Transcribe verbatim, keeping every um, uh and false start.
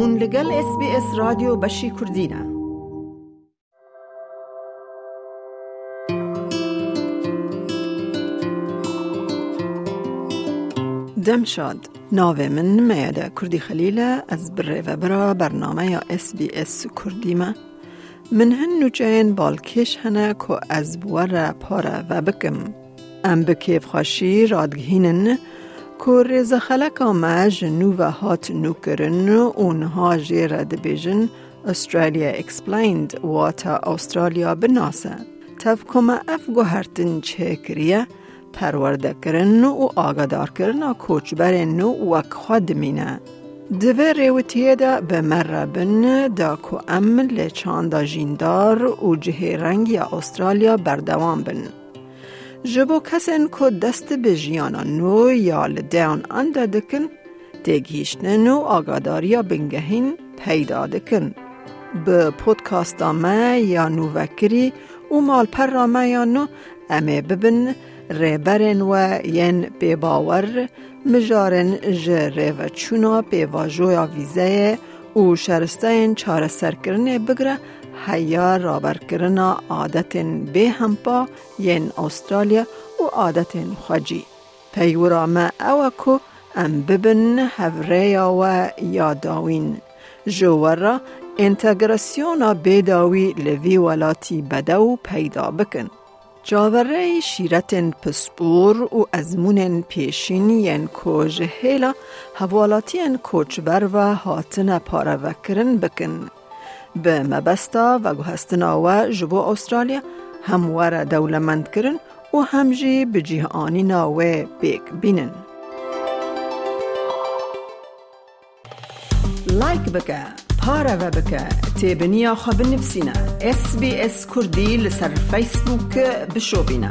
Hûn li gel S B S Radyo Beşî Kurdî ne. Dem şad. Navê min Meyede Kurdî Xelîl e, ez bi rêvebira bernameya S B S Kurdî me. Min hin nûçeyên balkêş hene ku ez bi we re pareve bikim. Em bi kêfxweşî radigihînin ku rêzexeleka me ji nû ve hat nûkirin û niha jê re dibêjin Australia Explained, wata Australia binase. Tev ku me ev guhertin çêkiriye, perwerdekirin û agadarkirina koçberên nû wek xwe dimîne. Di vê rêwitiyê de bi me re bin da ku em li çanda jîndar û cihêrengiya Australia berdewam bin. Ji bo kesên ku dest bi jiyana nû ya li Down Under dikin, têgihîştin û agadariya bingehîn peyda dikin. Bi podcasta me ya nûvekirî û malpera me ya nû em ê bibin rêberên we yên pêbawer, mijarên ji rêveçûna pêvajoya vîzeyê û şeristeyên çareserkirinê bigire heya raberkirina adetên bêhempa yên Australya û adetên xwecî. Peywira me ew e ku em bibin hevrêya we ya dawîn. Ji we re entegrasyona bêdawî li vî welatî bedew peyda bikin. Çaverêyî şîretên pispor û ezmûnên pêşîn yên ku ji hêla hevwelatiyên koçber ve hatine parevekirin bikin. Bi mebesta veguhestina we ji bo Australya hem were dewlemendkirin û hem jî bi cih anîna wê pêk bînin. Like bike, pareve bike, têbiniya xwe binivîsîne. S B S Kurdî li ser Facebook bişopîne.